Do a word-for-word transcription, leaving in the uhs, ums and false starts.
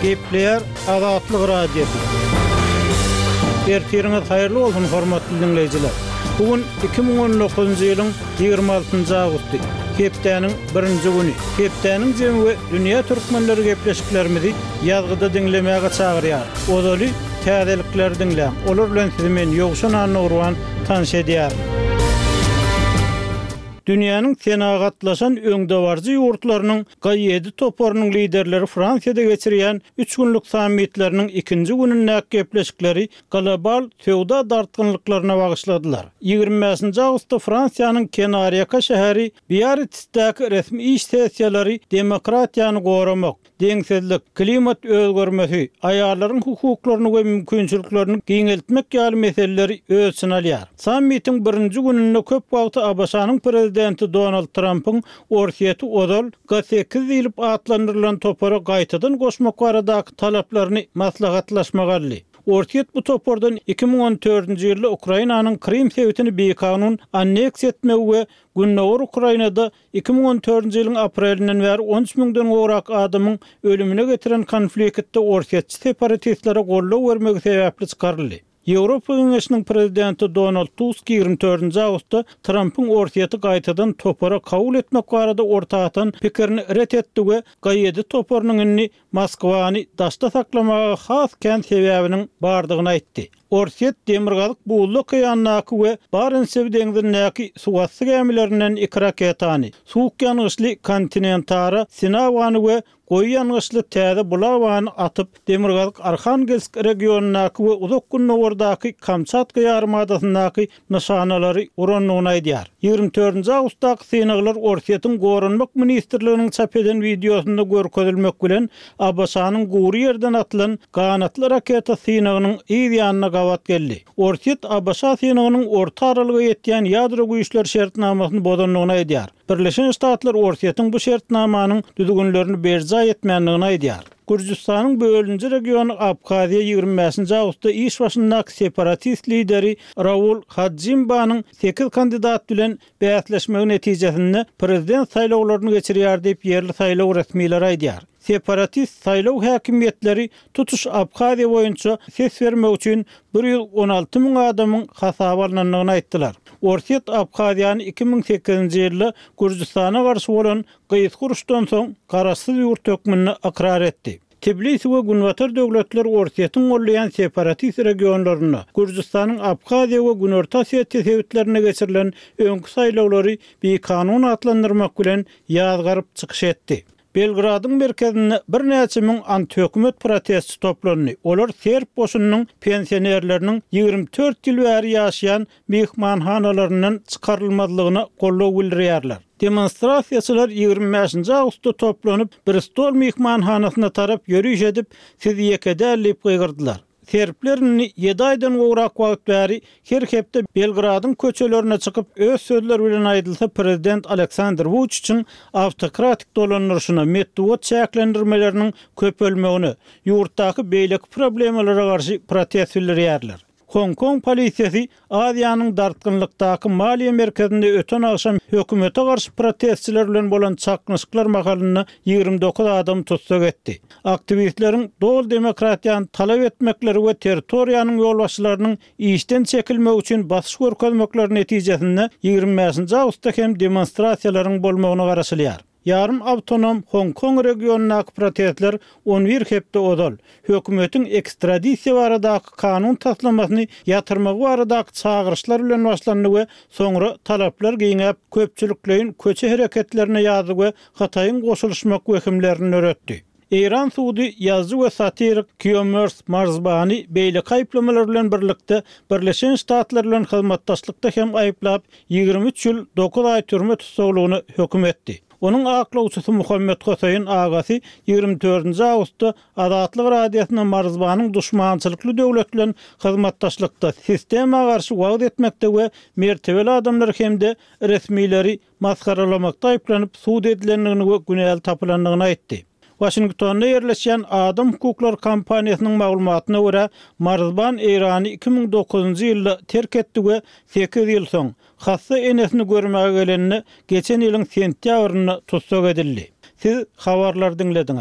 Gepleýär Azatlyk Radiosy. Ertiriňiz haýyrly bolsun, hormatly diňleýjiler. Bu gün iki müň on dokuzynjy ýylyň ýigrimi altynjy awgusty, hepdäniň birinji güni. Hepdäniň jemi we dünýä türkmenleri gepleşiklerimizi ýazgyda diňlemäge çagyrýar. Ozaly täzelikleri diňläň. Olar bilen sizi men Ýowşan Annagurban tanyş edýärin. Dünýäniň senagatlaşan öňdebaryjy ýurtlarynyň G ýedi toparynyň liderleri Fransiýada geçirýän üç günlük sammitleriniň ikinji günündäki gepleşikleri global söwda dartgynlyklaryna bagyşladylar. Ýigrimi bäşinji awgustda Fransiýanyň kenarýaka şäheri Biarritzdäki resmi iş sessiýalary demokratiýany goramak, deňsizlik, klimat özgermesi, aýallaryň hukuklaryny we mümkinçiliklerini giňeltmek ýaly meseleleri öz içine alýar. Sammitiň birinji gününde köp wagty A B Ş-nyň prezidenti Donald Trumpyň Orsýeti ozal G sekiz diýlip atlandyrylan topara gaýtadan goşmak baradaky talaplaryny maslahatlaşmak aldy. Orsýet bu topardan iki müň on dördünji ýylda Ukrainanyň Krim sebitini bikanun anneksiýa etmegi we Gündogar Ukrainada iki müň on dördünji ýylyň aprelinden bäri on üç müňden gowrak adamyň ölümine getiren konfliktde orsýetçi separatistlere goldaw bermegi sebäpli çykaryldy. Ýewropa Geňeşiniň prezidenti Donald Tusk ýigrimi dördünji awgustda Trumpyň Orsýeti gaýtadan topara kabul etmek barada orta atan pikirini ret etdi we G ýedi toparynyň indi Moskwany daşda saklamaga has kän sebäbiniň bardygyny aýtdy. Orsýet Demirgazyk Buzly okeandaky we Barentsew deňzindäki suwasty gämilerinden iki raketany, suwuk ýangyçly kontinentara Sinawany we goýy ýangyçly täze Bulawany atyp, Demirgazyk Arhangelsk regionyndaky we uzak gündogardaky Kamçatka ýarymadasyndaky nyşanalary urandygyny aýdýar. Ýigrimi dördünji awgustdaky synaglar Orsýetiň Goranmak ministrliginiň çap eden wideosynda görkezilmek bilen A B Ş-nyň gury ýerden atylan ganatly raketa synagynyň yz ýanyna gabat geldi. Orsýet A B Ş synagynyň orta aralyga ýetýän ýadro güýçler şertnamasyny bozandygyny aýdýar. Birleşen Ştatlar Orsýetiň bu şertnamanyň düzgünlerini berjaý etmändigini aýdýar. Gürjüstanyň bölünji regiony Abhaziýa ýigrimi bäşinji awgustda iş başyndaky separatist lideri Raul Hadzimbanyň sekiz kandidat bilen bäsleşmegi netijesinde prezident saýlawlaryny geçirýär diýip ýerli saýlaw resmileri aýdýar. Separatist saýlaw häkimiýetleri tutuş Abhaziýa boýunça ses bermek üçin bir ýüz on alty müň adamyň hasaba alynandygyny aýtdylar. Orsýet Abhaziýany iki müň sekizinji ýylda Gürjüstana garşy bolan gysga uruşdan soň garaşsyz ýurt hökmünde ykrar etdi. Tbilisi we Günbatar döwletler Orsýetiň gollaýan separatist regionlarynda Gürjüstanyň Abhaziýa we Günorta Osetiýa sebitlerinde geçirilen öňki saýlawlary bikanun atlandyrmak bilen ýazgaryp çykyş etdi. Belgradyň merkezinde birnäçe müň antihökümet protestçi toplandy. Olar serb goşunynyň pensionerleriniň ýigrimi dört ýyl bäri ýaşaýan mehmanhanalaryndan çykarylmazlygyna goldaw bildirýärler. Demonstrasiýaçylar ýigrimi bäşinji awgustda toplanyp, Bristol mehmanhanasyna tarap ýöriş edip, siz ýeke däl diýip gygyrdylar. Serbler indi ýedi aýdan gowrak wagt bäri her hepde Belgradyň köçelerine çykyp, öz sözleri bilen aýdylsa prezident Aleksandr Vučićiň awtokratik dolandyryşyna, metbugat çäklendirmeleriniň köpelmegine, ýurtdaky beýleki problemalara garşy protest bildirýärler. Hong Kong polisiýasy Aziýanyň dartgynlykdaky maliýe merkezinde öten agşam hökümete garşy protestçiler bilen bolan çaknyşyklar mahalynda ýigrimi dokuz adam tussag etdi. Aktiwistleriň doly demokratiýany talap etmekleri we territoriýanyň ýolbaşçylarynyň işden çekilmegi üçin basyş görkezmekleri netijesinde ýigrimi bäşinji awgustda hem demonstrasiýalaryň bolmagyna garaşylýar. Ýarym awtonom Hong Kong regionyndaky protestler on bir hepde ozal hökümetiň ekstradisiýa baradaky kanun taslamasyny ýatyrmagy baradaky çagyryşlar bilen başlandy we soňra talaplar giňäp köpçülikleýin köçe hereketlerine ýazdy we Hytaýyň goşulyşmak wehimlerini döretdi. Eýran sudy ýazyjy we satirik Kiomers Marzbany beýleki aýyplamalar bilen birlikde Birleşen Ştatlar bilen hyzmatdaşlykda hem aýyplap, ýigrimi üç ýyl dokuz aý türme tussaglygyna höküm etdi. Onuň aklawçysy Muhammet Hoseýin agasy ýigrimi dördünji awgustda Azatlyk Radiosyna Marzbanyň duşmançylykly döwlet bilen hyzmatdaşlykda, sistema garşy wagyz etmekde we mertebeli adamlar hem-de resmileri masgaralamakda aýyplanyp sud edilendigini we günäli tapylandygyny aýtdy. Waşingtonda ýerleşýän Adam hukuklary kompaniýasynyň maglumatyna görä, Marzban Eýrany iki müň dokuzynjy ýylda terk etdi we sekiz ýyl soň, hassa enesini görmäge gelende, geçen ýylyň sentýabrynda tussag edildi. Siz habarlary diňlediňiz.